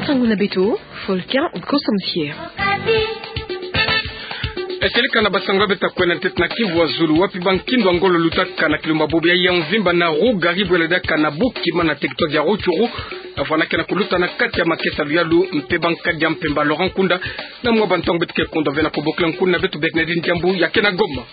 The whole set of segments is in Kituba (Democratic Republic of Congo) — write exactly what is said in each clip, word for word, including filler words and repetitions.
Sango na beto, Volcan Nkoso Mosier. Eseleka na basango ya beto ya kwenda ntete na Kivu ya Zulu, wapi bankindu ya ngolo lutaka na kilumbu ya bobo ya mvimba na Rue Gary, bwela diaka na Bukima na territoire ya Rutshuru, ya vwanda ke na kuluta na kati ya makesa luyalu mpe bankadi ya mpemba Laurent Nkunda. Na mwa bantangu beto ke kunda ve na kubokila nkuna na beto Bernardine Diambu ya ke na Goma.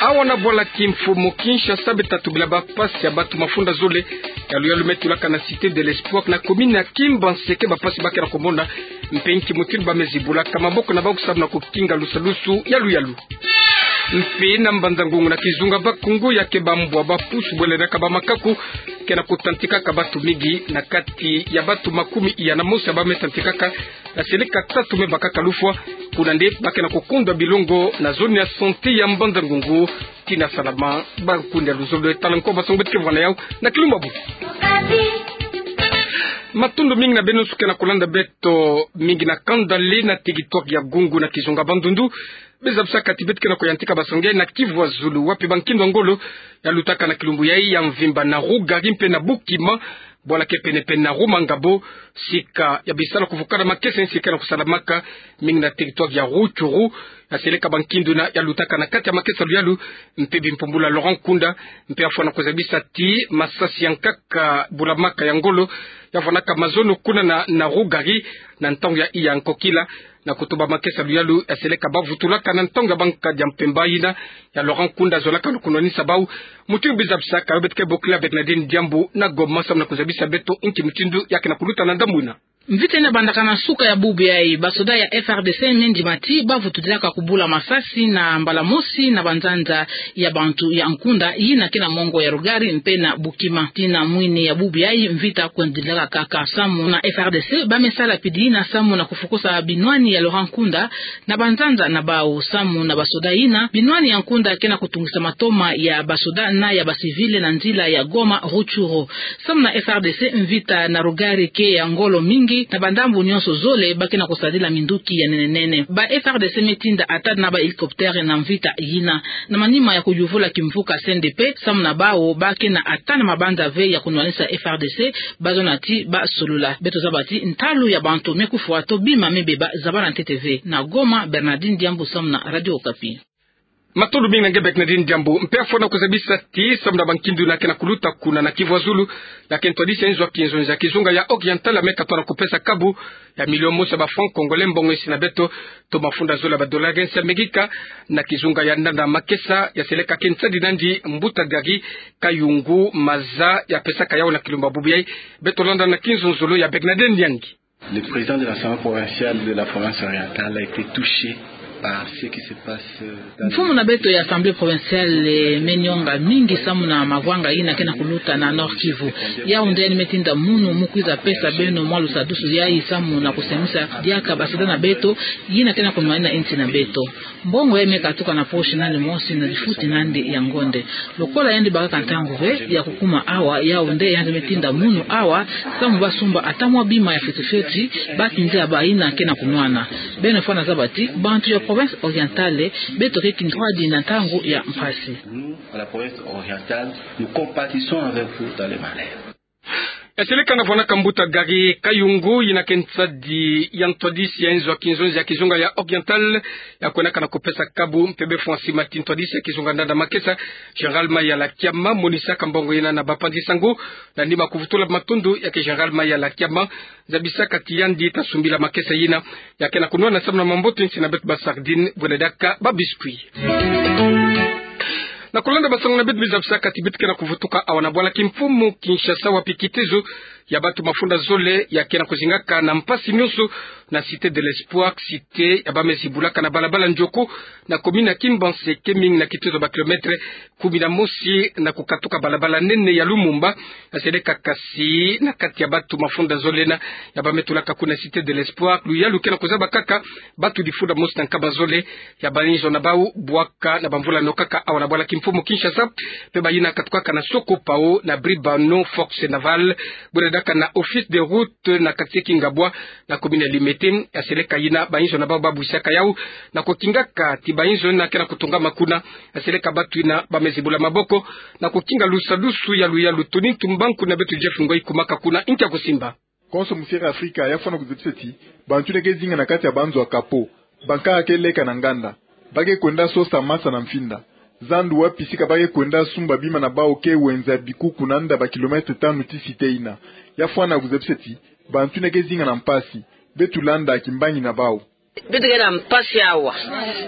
Awa na bwala kimfumu Kinshasa, beto ta tubila bampasi ya bato mafunda zole ya luyalu me tulaka na Cité de l'Espoir na commune ya Kimbanseke, bampasi ba ke na kumona mpe nki mutindu ba me zibulaka maboko na bawu samu na kukinga lusadusu ya luyalu. Mpe na Mbanza-Ngungu na kizunga Bakungu, ya ke bambwa bapusu bwela diaka bamakaku ke na kutantikaka bato mingi, na kati ya bato makumi iya na mosi ya ba me tantikaka, na seleka tatu me bakaka lufwa. Kuna nde ba ke na kukundwa bilongo na zone ya santé ya Mbanza-Ngungu. Tina salama, ba kunde ya luzolo. Tala nko basango beto ke vwanda yawu na kilumbu ya bobo. Matondo mingi na beno nyonso ke na kulanda beto, mingi na kanda lena territoire ya Gungu na kizunga Bandundu. Bizabisaka ti beto ke na kuyantika basango yayi na Kivu ya Zulu, wapi bankindu ya ngolo ya lutaka na kilumbu yayi ya mvimba na Rue Gary mpe na Bukima, bwala ke pene-pene na Rue Mangabo, sika ya bisalu ya kuvukana makesa, nsi ke na kusalamaka mingi na territoire ya Rutshuru. Ya seleka bankindu yina ya lutaka na kati ya makesa luyalu mpe bimpumbulu ya Laurent Nkunda, mpe ya fwana kuzabisa ti masasi ya nkaka bulamaka ya ngolo ya fwanaka mazono kuna na, na Rue Gary na ntangu ya iya nkokila, na kutumba makesa luyalu ya seleka ba vutulaka na ntangu ya bankadi ya mpemba yina ya Laurent Nkunda zolaka na kunwanisa bawu. Mutindu bizabisaka yo, beto ke bokila Bernardine Diambu na Goma samu na kuzabisa beto nki mutindu ya ke na kuluta na ndambu yina. Mvita yina bandaka na suka ya bubu yayi, basoda ya F R D C me ndima ti ba vutudilaka kubula masasi na mbala mosi na banzanza ya bantu ya Nkunda yina ke na mongo ya Rue Gary mpe na Bukima. Tii na mwini ya bubu yayi mvita kwendilaka kaka samu na F R D C ba me sala pidi yina samu na kufukusa binwani ya Laurent Nkunda na banzanza na bawu. Samu na basoda yina, binwani ya Nkunda ke na kutungisa matoma ya basoda na ya bacivil na nzila ya Goma Rutshuru. Samu na F R D C, mvita na Rue Gary ke ya ngolo mingi, na bandambu nyonso zole ba ke na kusadila minduki ya nene-nene. Ba F R D C me tinda ata na ba hélicoptère na mvita yina. Na manima ya kuyuvula kimvuka C N D P, samu na bawu ba ke na ata na mabanza ve ya kunwanisa F R D C, ba zona ti ba solola. Beto zaba ti ntalu ya bantu me kufwa to bima me beba, zabana ntete ve. Na Goma, Bernardine Diambu samu na Radio Okapi. Matondo mingi na nge Bernardine Diambu. Mpe ya fwana kuzabisa ti samu na bankindu yina ke na kuluta kuna na Kivu ya Zulu, ya ke ntwadisi ya inzo ya kinzonzi ya kizunga ya Oriental ya me katuka na kupesa kabu ya milio mosi ya ba francs congolais, mbongo insi na beto to mafunda zole ya ba dollars ya nsi ya Amerika, na kizunga ya Ndanda Makesa, ya seleka ke nsadi nandi mbuta Gary Kayungu Maza ya pesaka yawu na kilumbu ya bubu yayi. Beto landa na kinzonzolo ya Bernardine Nyangi. Le président de l'Assemblée provinciale de la province orientale a été touché par ce qui se passe, euh, dans... Mfumu na beto ya Assemblée provinciale, eh, me nyonga mingi samu na mavwanga yina ke na kuluta na Nord-Kivu. Yawu nde yandi me tinda munu mu kwiza pesa beno mwa lusadusu yayi samu na kusemisa diaka basoda na beto yina ke na kunwanina insi na beto. Mbongo yayi me katuka na poche nandi mosi na difuti nandi ya ngonde. Lokola yandi bakaka ntangu ve ya kukuma awa, yawu nde yandi me tinda munu awa samu ba sumba ata mwa bima ya fioti-fioti, ba tindia bayina ke na kunwana. Beno fwana zaba ti bantu ya province orientale, beto ke kintwadi na ntangu ya mpasi. Nous, à la province orientale, nous compatissons avec vous dans les malheurs. Ya seleka na vwanaka mbuta Gary Kayungu, yina ke nsadi ya ntwadisi ya inzo ya kinzonzi ya kizunga ya Oriental, ya kwendaka na kupesa kabu mpe befwa sima ti ntwadisi ya kizunga Ndanda Makesa, Général Mayala Kiama, monisaka mbongo yina na bapanzi sango, na nima kuvutula matondo ya ke Général Mayala Kiama, zabisaka ti yandi ta sumbila makesa yina ya ke na kunwana samu na mamboto insi na beto ba sardines, bwela diaka ba biscuits. Na kulanda basango na beto, bizabisaka ti beto ke na kuvutuka awa na bwala kimfumu Kinshasa, wapi kitezo ya bato mafunda zole ya ke na kuzingaka na mpasi nyonso na Cité de l'Espoir, cité ya ba me zibulaka na balabala Ndioko, na commune ya Kimbanseke, mingi na kitezo ba kilomètre kumi na mosi na kukatuka balabala nene ya Lumumba. Ya seleka kasi na kati ya bato mafunda zole yina ya ba me tulaka kuna Cité de l'Espoir, luyalu ke na kuzaba kaka bato difunda mosi na nkama zole ya bayinzo na bawu, bwaka na bamvula yinokaka awa na bwala kimfumu Kinshasa, mpe bayina katukaka na Sokopao, na Bribano, Force Navale, bwela diaka na Office des Routes, na quartier Kingabwa, na commune ya Limete. Ya seleka yina bayinzo na bawu ba bwisaka yawu na kukingaka ti bayinzo yina ke na kutongama kuna. Ya seleka bato yina ba me zibula maboko na kukinga lusadusu ya luyalu. Tony Tumbanku na beto Jeff Ngoi kumaka kuna, nki ya kusimba. Konso mu Sierra Afrika ya fwana kuzebisa ti bantu yina ke zinga na kati ya banzo ya kapo, bankaka ke leka na nganda, ba ke kwenda sosa masa na mfinda. Zandu wapi sika ba ke kwenda sumba bima na bawu ke wenza bikuku na nda ba kilomètre tanu ti site yina. Ya fwana kuzebisa ti bantu yina ke zinga na mpasi. Beto landa kimbangi na bawu. Beto ke na mpasi awa.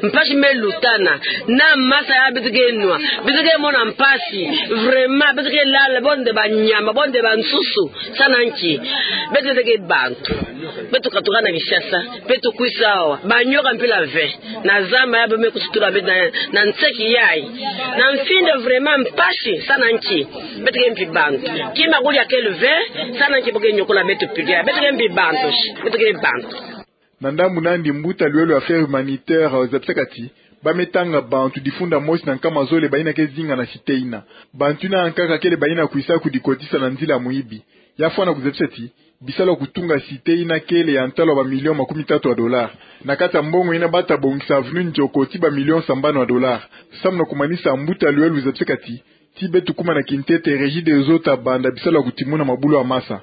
Mpasi me lutana. Na masa ya beto ke nwa. Beto ke mona mpasi. Vraiment, beto ke lala, bo nde banyama, bo nde bansusu. Sa na nki? Beto ke bantu. Beto katuka na Kinshasa. Beto kwisa awa. Banyoka mpila ve. Na zamba ya bo me kusutura beto na, na nseki yayi. Na mfinda vraiment mpasi. Sa na nki? Beto ke mpi bantu. Kima kulia kele ve. Sa na nki bo ke nyokola beto pili ya? Beto ke mpi bantu. Beto ke bantu. Na ndambu nandi mbuta lwelo ya Affaires humanitaires, zabisaka ti ba me tanga bantu difunda mosi na nkama zole bayina ke zinga na site yina. Bantu yina ankaka kele bayina kwisa kudikotisa na nzila muyibi. Ya fwana kuzabisa ti bisalu ya kutunga site yina kele ya ntalu ya ba millions makumi tatu ya dollars. Na kati ya mbongo yina ba ta bongisa, vuni nzoko ti ba millions sambanu ya dollars. Samu na kumanisa, mbuta lwelo zabisaka ti, ti beto kuma na kintete, Regideso ta banda bisalu ya kutimuna mabulu ya masa.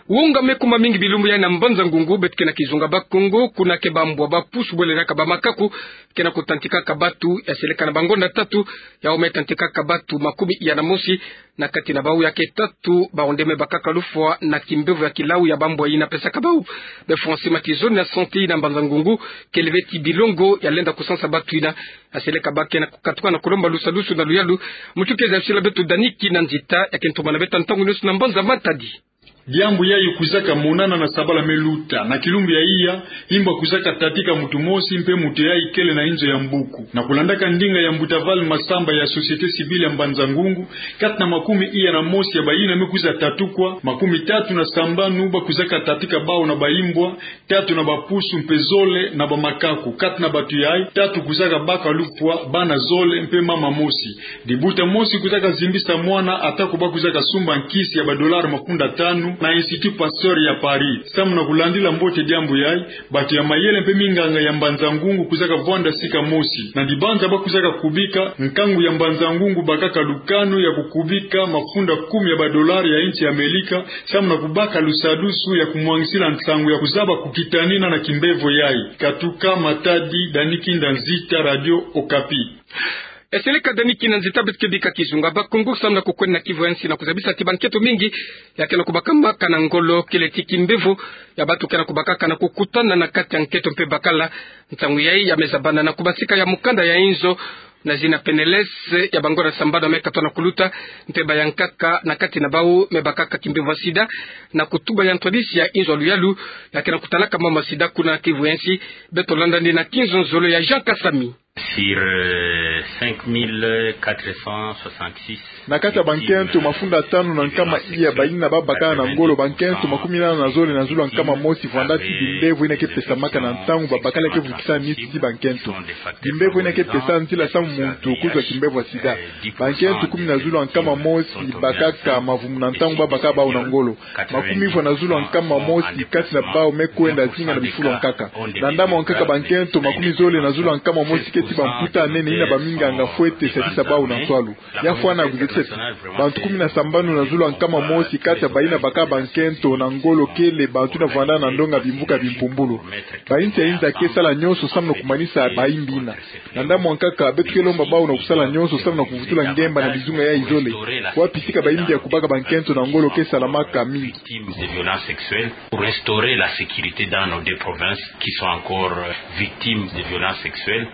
Wonga me kuma mingi bilumbu yayi na Mbanza Ngungu, beto ke na kizunga Bakongo, kuna ke bambwa, bapusu bwele diaka bamakaku ke na kutantikaka batu. Ya seleka na bangonda tatu, yawu me tantikaka batu makumi iya na mosi, na kati na bawu ya ke tatu, bawu nde me bakaka lufwa na kimbevo ya kilau ya bambwa yina pesaka bawu. Be fonctionnement ti zone ya santé yina Mbanza Ngungu kele ve ti bilongo ya lenda kusansa batu yina. Ya seleka ba ke na kukatuka na kulomba lusadusu na luyalu. Mutukezi ya sila beto Dani Kinanzita ya ke ntumana beto ntangu nyonso na Mbanza Matadi. Diambu yayi kwizaka monana na sabala me luta, na kilumbu ya iya, imba kwizaka tatika mutu mosi mpe mutu yayi kele na inzo ya mbuku. Na kulandaka ndinga ya mbuta Val Masamba ya société civile ya Mbanza Ngungu, kati na makumi iya na mosi ya bayina me kwiza tatukwa, makumi tatu na sambanu ba kwizaka tatika bawu na baimbwa, tatu na bapusu mpe zole na bamakaku. Kati na batu yayi, tatu kwizaka baka lufwa, bana zole mpe mama mosi. Dibuta mosi kwizaka zimbisa mwana, atako ba kwizaka sumba nkisi ya ba dollars mafunda tanu na Institut Pasteur ya Paris. Samu na kulandila mbote diambu yayi, batu ya mayele mpe minganga ya Mbanza Ngungu kwizaka vwanda sika mosi. Na dibanza ba kwizaka kubika, nkangu ya Mbanza Ngungu bakaka lukanu ya kukubika mafunda kumi ya ba dollars ya insi ya Amelika, samu na kubaka lusadusu ya kumwangisila nsangu ya kuzaba kukitanina na kimbevo yayi. Katuka Matadi, Dani Kinanzita, Radio Okapi. Ya seleka Dani Kinanzita. Beto ke bika kizunga Bakongo samu na kukwenda na kivu ya nsi na kuzabisa ti bankento mingi ya ke na kubakamaka na ngolo, kele ti kimbevo ya batu ke na kubakaka na kukutana na kati ya nkento mpe bakala. Ntangu yayi ya me zabana na kubasika ya mukanda ya inzo na zina PNLS ya bangonda sambanu me katwa na kuluta, mpe bayankaka na kati na bawu me bakaka kimbevo ya sida, na kutuba ya ntwadisi ya inzo ya luyalu ya ke na kutalaka mambu ya sida kuna kivu ya nsi. Beto landa nde na kinzonzolo ya Jean Kasami. Sur, euh, cinq mille quatre cent soixante-six. Na kati ya bankento mafunda tanu na nkama iya bayina ba bakaka na ngolo, bankento makumi nana na zole na zulu ya nkama mosi vwanda ti bimbevo yina ke pesamaka na ntangu babakala ke vukisa niti ti bankento. Bimbevo yina ke pesa nzila samu muntu kuzwa kimbevo ya sida. Bankento kumi na zulu ya nkama mosi bakaka mavumu na ntangu ba baka bawu na ngolo. Makumi vwa na zulu ya nkama mosi kati na bawu me kwenda zinga na bifulu ya nkaka. Na ndambu ya nkaka, bankento makumi zole na zulu ya nkama mosi keti bamputa ya nene yina baminganga fwete sadisa bawu na nswalu. Ya fwana kuzabisa ti bantu kumi na sambanu na zulu ya nkama mosi kati ya bayina baka bankento na ngolo kele bantu yina vwanda na ndonga bimvuka bimpumbulu. Bayinsi ya inza ke sala nyonso samu na kumanisa bayimbi yina. Na ndambu ya nkaka, beto ke lomba bawu na kusala nyonso samu na kuvutula ngemba na bizunga yayi zole, wapi sika bayimbi ya kubaka bankento na ngolo ke salamaka mingi. Victimes de violences sexuelles, pour instaurer la sécurité dans nos deux provinces qui sont encore, euh, victimes de violences sexuelles.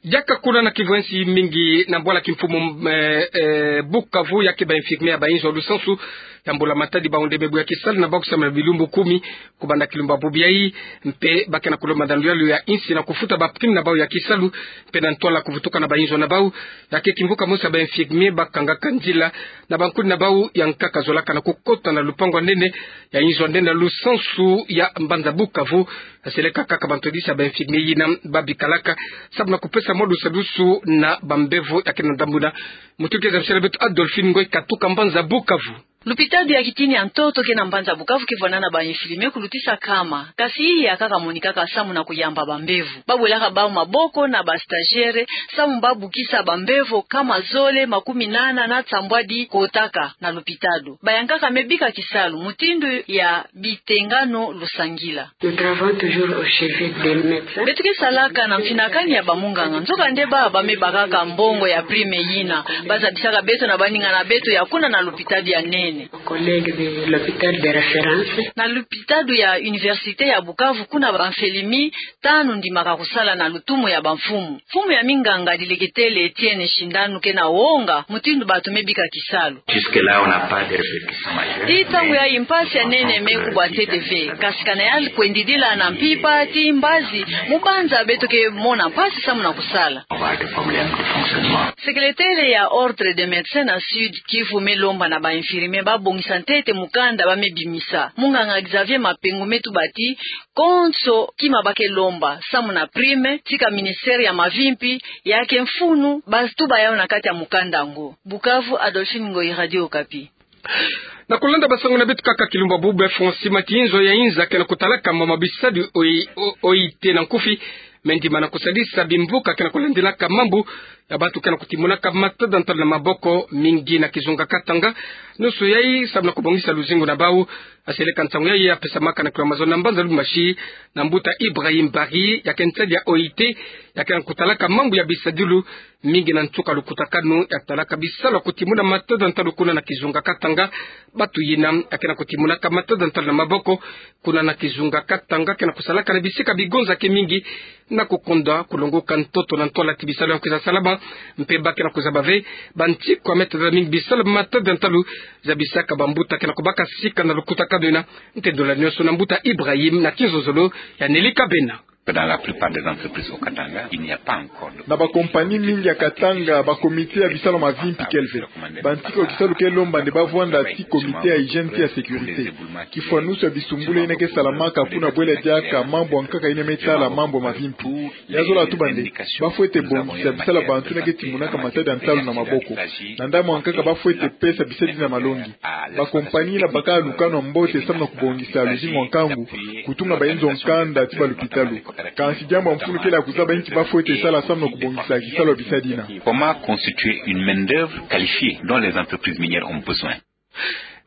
Diaka kuna na kivu ya nsi, mingi na bwala kimfumu, eh, eh, Bukavu, ya ke ba infirmiers ya ba inzo ya lusansu ya Mbula Matadi, bawu nde me buya kisalu na bawu kusamuna bilumbu kumi kubanda kilumbu ya bubu yayi, mpe ba ke na kulomba na luyalu ya insi na kufuta ba primes na bawu ya kisalu, mpe na ntwala kuvutuka na ba inzo na bawu. Ya ke kimvuka mosi ya ba infirmiers bakangaka nzila na bankuni na bawu ya nkaka zolaka na kukota na lupangu ya nene ya inzo ya nene ya lusansu ya mbanza Bukavu. Ya seleka kaka ba ntwadisi ya ba infirmiers yina ba bikalaka samu na kupesa mwa lusadusu na bambevo ya ke na ndambu yina. Mutukezi ya msala beto Adolphine Ngoy katuka mbanza Bukavu. Lupitalo ya kitini ya ntoto ke na mbanza Bukavu ke vwanda na ba infirmier kulutisa nkama, kasi iya kaka monikaka samu na kuyamba bambevo. Babwelaka bau maboko na ba stagiaire samu babukisa bambevo nkama zole makumi nana na nsambwadi kotaka na lupitalo. Bayankaka me bika kisalu mutindu ya bitengano lusangila. Nous travaillons toujours au chevet des médecins. Beto ke salaka na mfinakani ya bamunganga, nzokande bau ba me bakaka mbongo ya prime yina. Bazabisaka beto na baninga na beto ya kuna na lupitalo ya nene. Collègues de l'hôpital de référence. Na lupitalo ya Université ya Bukavu, kuna ba infirmier tanu ndimaka kusala na lutumu ya bamfumu. Mfumu ya minganga dileketele Etienne Shindanu ke na wonga mutindu bato me bika kisalu. Jusque-là, on n'a pas de répercussions majeures. Tii ntangu yayi mpasi ya nene me kubwa ntete ve, kasi kana yandi kwendidila na mpimpa tii mbazi, mu mbanza beto ke mona mpasi samu na kusala. On va avoir des problèmes de fonctionnement. Sekeletere ya Ordre des médecins na Sud-Kivu me lomba na ba infirmier babongisa ntete mukanda ba me bimisa. Munganga Xavier Mapengu me tuba ti konso kima ba ke lomba samu na prime, tika ministère ya mavimpi ya ke mfunu ba tuba yawu na kati ya mukanda yango. Bukavu, Adolphine Ngoyi, Radio Okapi. Na kulanda basango na beto kaka kilumbu bubu, Francis Matinzo ya inza ke na kutalaka mama bisadi oi, o-, O I T na nkufi, me ndima na kusadisa bimvuka ke na kulandilaka mambu ya bantu ke na kutimunaka matada ntalu na maboko mingi na kizunga Katanga. Nusu yayi samu na kubongisa luzingu na bau. Aseleka nsangu yayi apesamaka na kilo mazono na mbanza Lubumbashi na mbuta Ibrahim Bari, ya ke nsadi ya O I T, ya ke na kutalaka mambu ya bisadilu mingi na nsuka lukutakanu ya talaka bisalu ya kutimuna matada ntalu kuna na kizunga Katanga. Bantu yina ya ke na kutimunaka matada ntalu na maboko kuna na kizunga Katanga ke na kusalaka na bisika bigonzaki mingi na kukunda kulongoka ntoto na ntwala ti bisalu ya kwiza salama. Mpe ba ke na kuzaba ve bantikwa me tadila mingi bisalu matada ntalu zabisaka bambuta ke na kubaka sika na lukutakanu yina. Ntendula nyonso na mbuta Ibrahim na kinzonzolo ya Nelly Kabena. Dans la plupart des entreprises au Katanga, il n'y a pas encore de... Na bakompani mingi ya Katanga, bakomite ya bisalu ya mavimpi kele ve. Bantikwa ya kisalu ke lomba nde bavwanda tii komite ya hygiène tii ya sécurité. Kifwanusu ya bisumbula yina ke salamaka kuna bwela diaka mambu ya nkaka yina me tala mambu ya mavimpi. Ya zola tuba nde bafwete bongisa bisalu ya bantu yina ke timunaka matada ntalu na maboko. Na ndambu ya nkaka bafwete pesa bisadi yina malongi. Bakompani yina baka lukanu ya mbote samu na kubongisa luzingu ya nkangu, kutunga bainzo ya nkanda tii balupitalu. Kansi diambu ya mfunu kele ya kuzaba nki bafwete sala samu na kubongisa kisalu ya bisadi yina. Comment constituer une main-d'œuvre qualifiée dont les entreprises minières ont besoin?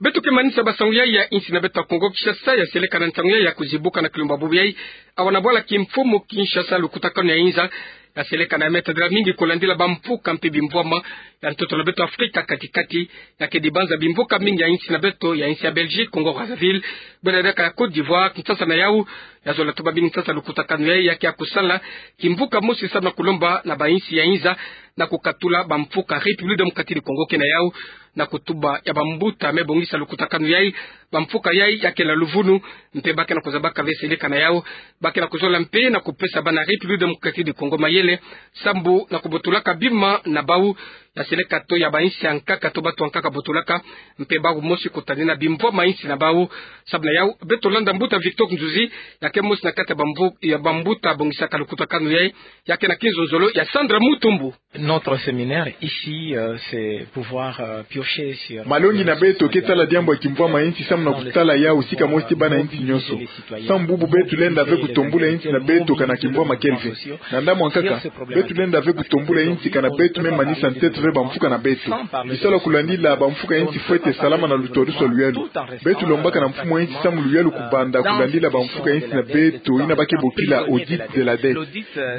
Beto ke manisa basangu yayi ya insi na beto ya Kongo Kinshasa, ya seleka na nsangu yayi ya kuzibuka na kilumbu bubu yayi, awa na bwala kimfumu Kinshasa, lukutakanu ya inza ya seleka na me tadila mingi kulandila bamvuka mpe bimvwama ya ntoto na beto Afrika kati-kati. Ya ke dibanza bimvuka mingi ya insi na beto, ya insi ya Belgique, Congo Brazzaville, bwela diaka ya Côte d'Ivoire, Kinshasa na yawu. Ya zola tuba mingi Kinshasa lukutakanu yayi ya ke ya kusala kimvuka mosi samu na kulomba na bainsi ya inza na kukatula bamvuka. République démocratique du Congo ke na yawu. Na kutuba ya bambuta me bongisa lukutakanu yayi, bamvuka yayi ya ke na luvunu, mpe ba ke na kuzabaka ve seleka na yawu, ba ke na kuzola mpe na kupesa bana République démocratique du Congo mayele sambu na kubotolaka bima na bau, ya seleka to ya bainsi ya nkaka to bantu ya nkaka botolaka, mpe bau mosi kutadina bimvwama ya insi na bau. Samu na yawu, beto landa mbuta Victor Kinzuzi, ya ke mosi na kati ya bamvu-, ya bambuta bongisaka lukutakanu yayi, ya ke na kinzonzolo ya Sandra Mutumbu. Notre séminaire ici, euh, c'est pouvoir, euh, piocher sur... Malongi na beto ke tala diambu ya kimvwama ya insi samu na kutala yawu sika mosi tii bana insi nyonso. Samu bubu beto lenda ve kutombula insi na beto kana kimvwama kele ve. Na ndambu ya nkaka, beto lenda ve kutombula insi kana beto me manisa ntete ve bamvuka na beto. Bisalu ya kulandila bamvuka ya insi fwete salama na lutwadusu ya luyalu. Beto lombaka na mfumu ya insi samu luyalu kubanda kulandila bamvuka ya insi na beto yina ba ke bokila audit de la dette.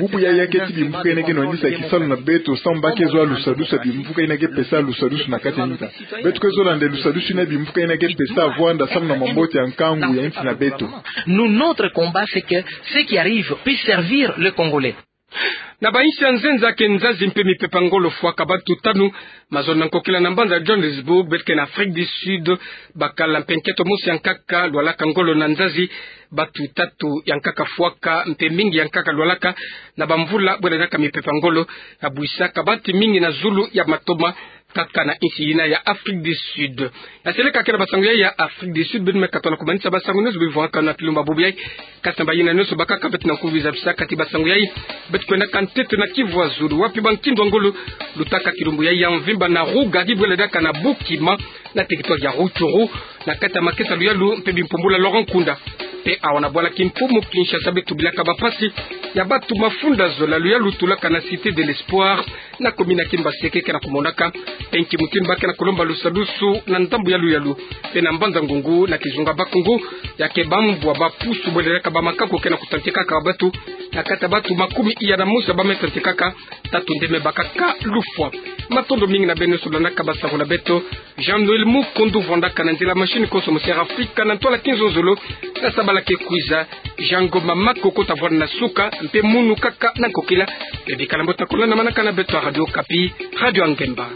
Bubu yayi ya ke tii bimvuka yina ke nwandisa kisalu na beto samu ba ke zola lusadusu ya bimvuka yina ke pesa lusadusu na kati ya inza. Beto ke zola nde lusadusu yina bimvuka yina ke pesa vwanda samu na mambote ya nkangu ya insi na beto. Nous, notre combat, c'est que ce qui arrive puisse servir le Congolais. Na bainsi ya nzenza ke nzazi mpe mipepa ngolo fwaka, bantu tanu mazono na nkokila na mbanza Johannesburg, beto ke na Afrique du Sud, bakala mpe nkento mosi ya nkaka lwalaka ngolo na nzazi. Bantu tatu ya nkaka fwaka mpe mingi ya nkaka lwalaka na bamvula bwela diaka mipepa ngolo ya bwisaka bantu mingi na zulu ya matoma. kaka na insi yina ya Afrique du Sud. Ya seleka ke na basango yai ya Afrique du Sud, beno me katona kumanisa basango nyonso bivwanga na kilumbu bubu yai. Kasi na bayina nyonso bakaka beto na kuviza bisakati basango yai, beto kwendaka ntete na Kivu ya Zulu, wapi bankindu ya ngolo lutaka kilumbu yai ya mvimba na Rougari, bwele diaka na Bukima, na territoire ya Rutshuru, na kati ya makesa luyalu mpe bimpumbula Laurent Nkunda. Mpe awa na bwala Kimpumu Kinshasa beto bilaka bampasi ya bato mafunda zola, luyalu tulaka na Cité de l'Espoir, na commune ya Kimbanseke, ke na kumonaka mpe nki mutindu ba ke na kulomba lusadusu na ndambu ya luyalu. Mpe na mbanza Ngungu, na kizunga Bakongo, ya ke bambwa bapusu bwele diaka bamakako ke na kutantekaka bato, na kati ya bato makumi iya na mosi ba me tantekaka, tatu nde me bakaka lufwa. Matondo mingi na beno nyonso landaka basango na beto. Jean-Noël Mukundu vwandaka na nzila machine konso mu Sierra Africa, na ntwala kinzonzolo, na sabala ke kwiza, Jean Ngoma Makoko ta vwanda na suka, mpe munu kaka na nkokila. Beno bikala mbote na kolanda manaka na beto ya Radio Okapi, Radio ya Ngemba.